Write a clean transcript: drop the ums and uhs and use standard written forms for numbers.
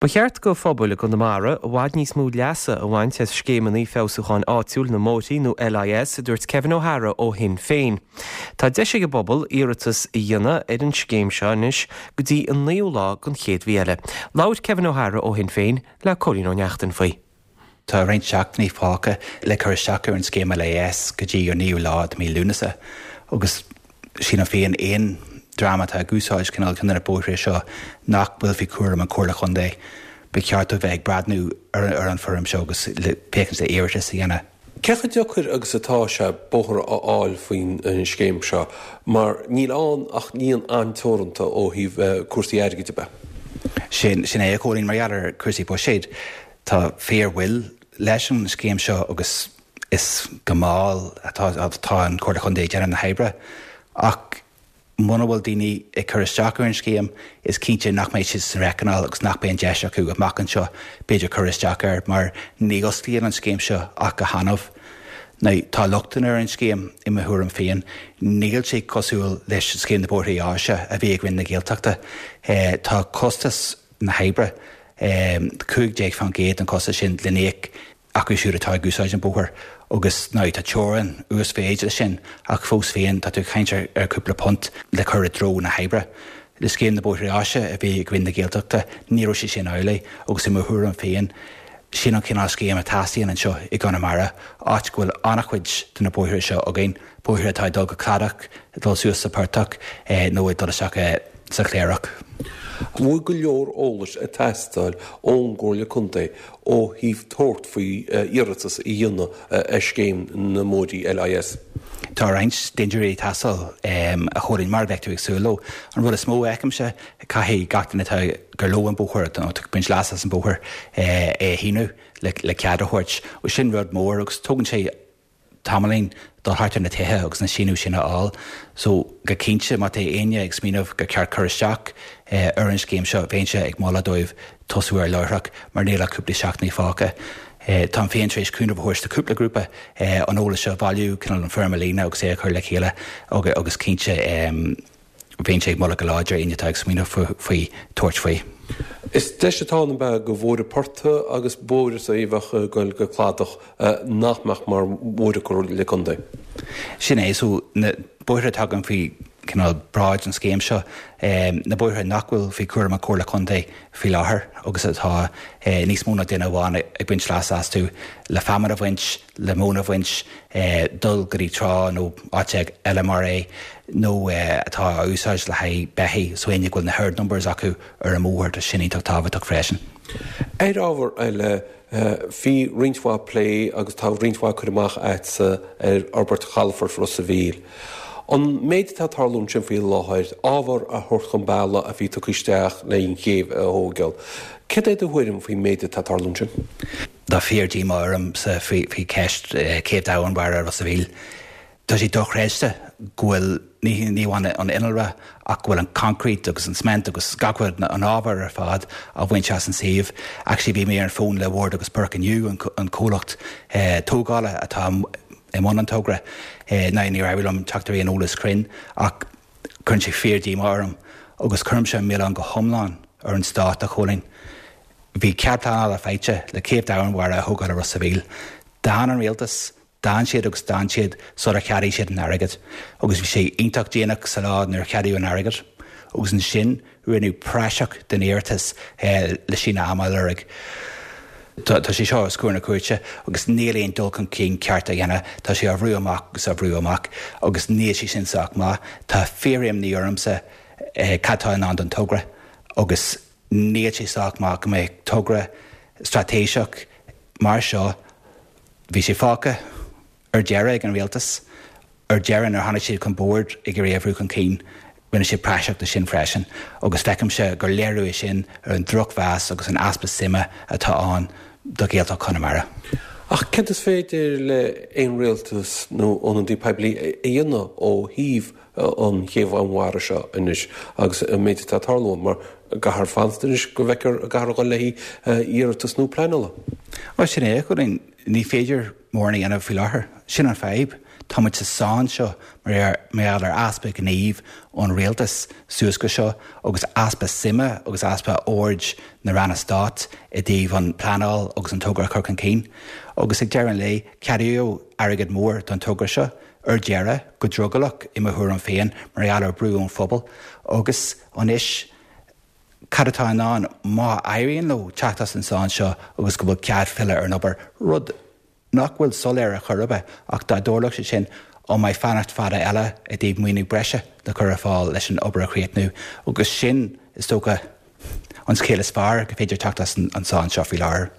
Ba cheart do phobail i gConamara i bhfad níos mó leasa a bhaint as Scéimeanna Feabhsúcháin Áitiúil na mBóithrí nó LIS, a dúirt Kevin O'Hara ó Shinn Féin. Tá deis ag an bpobal iarratas a dhéanamh ar an scéim seo anois go dtí an naoú lá den chéad mhí eile. Labhair Kevin O'Hara ó Shinn Féin le Cóilín Ó Neachtain faoi. Tá roinnt seachtainí fágtha le cur isteach ar an scéim LIS go dtí an 9ú lá de mí Lúnasa agus sílim féin aon dream atá ag úsáid cineál ceann de na bóithre seo nach bhfuil faoi chúram an Chomhairle Chontae, ba cheart dóibh bheith ag breathnú ar an foirm seo agus féachaint le iarratas a dhéanamh. Cé chomh deacair agus atá sé bóthar a fháil faoin scéim seo mar níl ann ach líon an-teoranta ó thaobh cúrsaí airgid de? Sin é a Chóilín, mar gheall ar chúrsaí buiséid. Tá fíor-mhoill leis an scéim seo agus is go mall atá an Chomhairle Chontae ag déanamh na hoibre. Ach muna bhfuil daoine ag cur isteach ar an scéim, is cinnte nach mbeidh siad san reicneáil agus nach mbeidh an deis acu amach anseo b'fhéidir cur isteach air mar ní osclaíonn an scéim seo ach go hannamh. Now tá lochtanna ar an scéim i mo thuairim féin. Níl sé cosúil leis scéim na Bóithrí Áise a bhí ag Roinn na Gaeltachta. Tá costas na hoibre, 15% den chostas sin le n-íoc acu siúd atá ag úsáid an bóthar agus now tá teorainn uasmhéid leis sin ach fós féin tá tú ag caint ar cúpla punt le cur i dtreo na hoibre. Le scéim na Bóithre Áise a bhí ag Roinn na Gaeltachta ní raibh sé sin amhlaidh agus i mo thuairim féin sin an cineál scéim a teastaíonn anseo i gConamara, áit go bhfuil an-chuid de na bóithre seo againn, bóithre atá ag dul go cladach, ag dul suas sa portach nó ag dul isteach i. sa Chléireach. An bhfuil go leor eolais ag teastáil ón gComhairle Contae ó thaobh tabhairt faoi iarratas a dhéanamh ar scéim na mbóithrí LIS? Tá roinnt dintiúirí ag teastáil, a Chóilín, mar a bheadh tú ag súil leo. An rud is mó a fheicimse, caithfidh gach duine atá gur leo an bóthar, nó atá ag baint leas as an bóthar, é a shíniú le cead a thabhairt. Sin rud mór agus tógann sé tamaillín dul thart ar na tithe agus na síniú sin a fháil. So, go cinnte, má tá éinne ag smaoineamh gur ceart cur isteach ar an scéim seo, bheinnse ag moladh dóibh tosú air láithreach mar níl ach cúpla seachtainí fágtha. Táim féin tar éis cúnamh a thabhairt do cúpla grúpa an eolas seo a bhailiú, cineál an foirm a líonadh agus é a chur le chéile agus cinnte, Bheinnse ag moladh go láidir éinne atá ag smaoineamh faoi tabhairt faoi. Is deis atá ann ab ea do bhóithre portaigh agus bóithre a bheadh ag goil go cladach nach mbeadh mar bhóithre Comhairle Contae. Sin é, so na bóithre atá againn faoi cineál bráid an scéim seo, na bóithre nach bhfuil faoi chúram an Chomhairle Contae faoi láthair agus atá níos mó ná duine amháin ag baint leasa astu le feamainn a bhaint, le móin a bhaint, dul go dtí trá nó áit eile mar é, nó atá á úsáid le haghaidh beithígh, so éinne go bhfuil na herd numbers acu ar an mbóthar, tá sin iontach tábhachtach freisin. Ar ábhar eile, bhí roinnt mhaith plé agus tá roinnt mhaith cur amach agatsa ar fhorbairt chalafort Ros a' Mhíl. An méid atá ag tarlú ansin faoi láthair, ábhar a thabhairt chun bealaigh a bhí tugtha isteach le an chéibh a thógáil, céard é do thuairim faoin méid atá ag tarlú ansin? Tá fíor-díomá ormsa faoi cheist Chéibh Domhainmhara Ros a' Mhíl. Tá sé dochreidte go bhfuil, ní amháin an innealra, ach go bhfuil an concrete agus an cement agus gach rud, an ábhar ar fad á bhaint as an suíomh. Actually bhí mé ar an bhfón le Ward agus Burke inniu, an comhlacht tógála atá i mbun an togra. Now níor éirigh liom teacht ar aon eolas cruinn ach cuireann sé fíor-díomá orm agus cuirimse an milleán go hiomlán ar an Stát, a Chóilín. Bhí cead pleanála faighte le céibh domhainmhara a thógáil i Ros a' Mhíl. D'fhan an rialtas, d'fhan siad agus d'fhan siad sular cheadaigh siad an airgead. Agus bhí sé iontach déanach sa lá nuair a cheadaíodh an airgead. Agus ansin rinneadh praiseach den iarratas le síneadh ama a lorg. Tá sé seo os comhair na cúirte agus níl aon dul chun cinn ceart á dhéanamh. Tá sé á bhrú amach agus á bhrú amach agus níl sé sin sách maith. Tá fíor-imní ormsa cad tá i ndán don togra agus Níl sé sách maith go mbeadh togra straitéiseach mar seo, bhí sé fágtha ar deireadh ag an rialtas, ar deireadh nuair a tháinig siad chun boird ag iarraidh é a bhrú chun cinn, rinne siad praiseach de sin freisin agus feicimse gur léiriú é sin ar an drochmheas agus an easpa suime atá ann do Ghaeltacht Chonamara. Ach céard is féidir le aon rialtas nó ionadaí poiblí a dhéanamh ó thaobh an chéibh mhara seo anois agus an méid atá ag tarlú ann, mar caithfear fanacht anois go bhfeicfear an gcaithfear a dhul le haghaidh iarratas nua pleanála. Bhuel, sin é, a Chóilín, ní féidir mórán a dhéanamh faoi láthair. Sin an fadhb. Tá muid sa sáinn seo mar gheall ar easpa gnímh ón rialtas suas go seo agus easpa suime agus easpa aird na ranna stáit i dtaobh an pleanáil agus an togra a chur chun cinn. Agus ag deireadh an lae, ceadaíodh airgead mór don togra seo ar deireadh, go drogallach i mo thuairim féin, mar gheall ar brú ón phobal. Agus anois, cad atá i ndán má éiríonn leo teacht as an sáinn seo agus go bhfuil cead filleadh ar an obair, rud nach bhfuil soiléir ar chor ar bith, ach dá dtarlódh sé sin, an mbeidh fanacht fada eile i dtaobh maoiniú breise le cur ar fáil leis an obair a chríochnú? Agus sin, is dócha, an scéal is fearr go féidir teacht as an sáinn seo faoi láthair.